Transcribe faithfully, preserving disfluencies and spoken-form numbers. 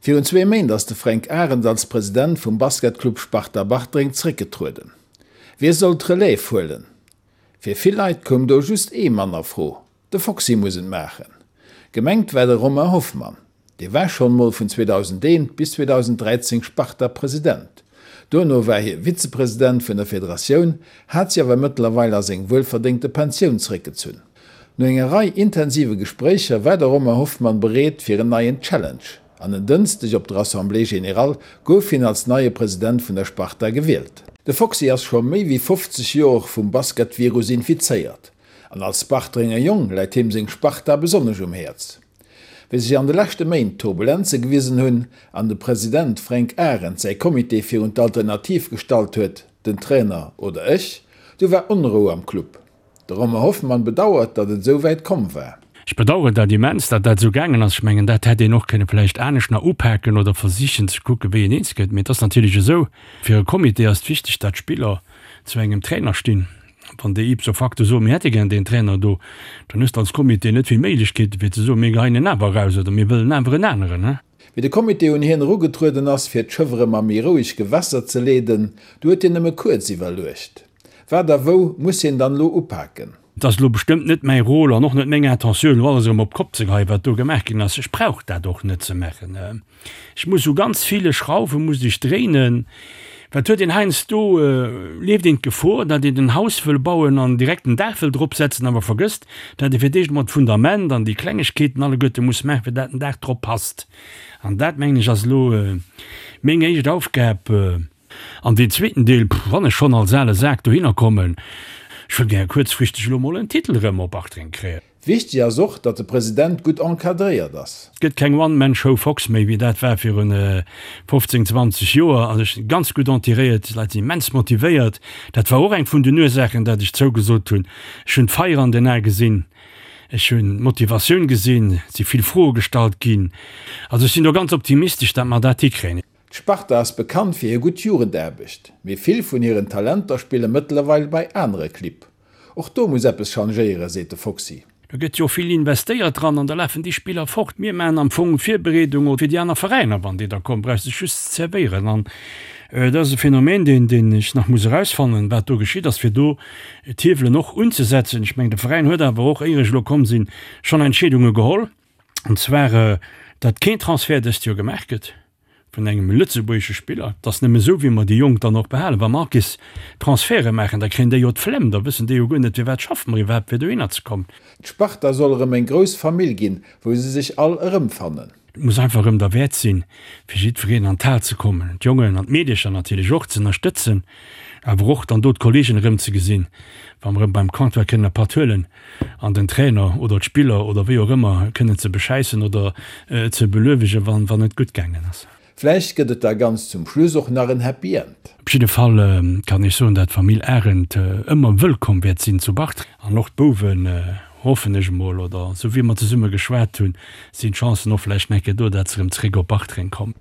Virun zwee Méint ass de Fränk Arend als President vum Basketclub Sparta Bartreng zréckgetrueden. Wie soll d'Relève huelen? Fir vill Leit koum do just ee Mann a Fro, De Foxy muss et maachen. Gemengt war de Romain Hoffmann. Dee war schonn mol vun zweedausendeent bis zweedausendräizéng Sparta-President. Duerno war hie Vizepresident vun der Federatioun, hat sech awer mëttlerweil a seng wuelverdéngte Pensioun zeréckgezunn. No enger Rei intensive Gespréicher war de Romain Hoffmann bereet fir en neien Challenge an en Dënschdeg op der Assemblée générale gouf hien als neie President vun der Sparta gewielt. De Foxy ass scho méi wéi fofzeg Joer vum Basketvirus infizéiert an als Bartrenger Jong läit him seng Sparta besonnesch um Häerz. Wéi sech an de leschte Méint Turbulenze gewisen hunn an de President Fränk Arend säi Comité virun d'Alternativ gestallt huet, den Trainer oder ech, du war Onrou am Club. De Romain Hoffmann bedauert, datt et esou wäit komm war. Ech bedauern dat immens, datt dat esou gaangen ass. Ech mengen, dat hätt een och kënne vläicht anescht nach upaken oder versichen ze kucken, wéi een eens gëtt. Mee et ass natierlech esou, fir e Comité ass et wichteg, datt d'Spiller zu engem Trainer stinn. Wann déi ipso facto soen, mir hätte gär deen Trainer do, dann hues de als Comité net vill Méiglechkeeten, fir ze soen, mir geheien en awer eraus oder mir wëllen awer en aneren. Wéi de Comité un hien erugetrueden ass, fir d'Schëff erëm a méi roueg Gewässer ze leeden, du huet hien nëmme kuerz iwwerluecht. Wat a wou muss hien dann elo upaken? Et ass elo bestëmmt net mäi Rôle an och net meng Intentioun, elo alles erëm op d'Kopp ze geheien, wat do gemaach ginn ass. Ech brauch dat och net ze maachen. Ech muss u ganz ville Schrauwe muss ech dréinen. Wat huet een heiansdo, leeft een d'Gefor, datt een en Haus wëll bauen an direkt en Daach wëll drop setzen, awer vergësst, datt ee fir d'éischt emol d'Fundament an déi Klengegkeeten alleguerte muss maachen, fir dat den Daach drop passt. An dat, mengen ech, ass elo meng éischt Aufgab. An deen zweeten Deel, wann ech schonn als ale Sak dohinner kommen, ech wëll gär kuerzfristeg elo mol en Titel erëm op Bartreng kréien. Wichteg ass och, datt de President gutt encadréiert ass. Et gëtt keng One-Man-Show Fox méi, wéi dat war virun fofzéng, zwanzeg Joer. Also ech sinn ganz gutt entiréiert, d'Leit sinn immens motivéiert. Dat war och eng vun den Ursaachen, dat ech zougesot hunn. Ech hunn d'Feier an den Ae gesinn, ech hunn d'Motivatioun gesinn, et si vill Froe gestallt ginn. Also ech sinn do ganz optimistesch, dat mer dat hikréien. D'Sparta ass bekannt fir hir gutt Jugendaarbecht, mee vill vun hiren Talenter spille mëttlerweil bei anere Clibb. Och do muss eppes changéieren, seet de Foxy. Do gëtt jo vill investéiert dran an da lafen déi Spiller fort. Mir maachen am Fong Virbereedung fir déi aner Veräiner. Wann déi da kommen, brauchs de just ze zerwéieren. An dat ass e Phänomen, deen, deen ech nach muss erausfannen, wat do geschitt ass, fir do d'Hiewelen och unzesetzen. Ech mengen, de Veräin huet awer och, éier ech elo komm sinn, schonn Entscheedunge geholl, an zwar datt keen Transfert dëst Joer gemaach gëtt vun engem lëtzebuergesche Spiller. Et ass nëmme esou, wéi mer déi Jonk dann och behalen. Wa mer Arcis Transferte maachen, da kréien déi jo d'Flemm, da wëssen déi jo guer net, firwat schaffe mer iwwerhaapt, fir dohinner ze kommen. D'Sparta soll erëm eng grouss Famill ginn, wou se sech all erëmfannen. Et muss einfach erëm derwäert sinn, fir jiddwereen an d'Hal ze kommen, d'Jongen an d'Meedecher natierlech och ze ënnerstëtzen, awer och dann do d'Kolleegen erëm ze gesinn, wa mer erëm beim Comptoir kënnen e Patt huelen an den Trainer oder d'Spiller oder wéi och ëmmer kënnen ze beschäissen oder ze beluewegen, wann wann et gutt gaangen ass. Vläicht gëtt et da ganz zum Schluss och nach en Happy End. Op jidde Fall kann ech soen, dat d'Famill Arendt ëmmer wëllkomm wäert sinn zu Bartreng an och d'Bouwen, hoffen ech emol, oder esou wéi mer zesumme geschwat hunn, sinn d'Chancen och vläicht nach eng Kéier do, dat se erëm zréck op Bartreng kommen.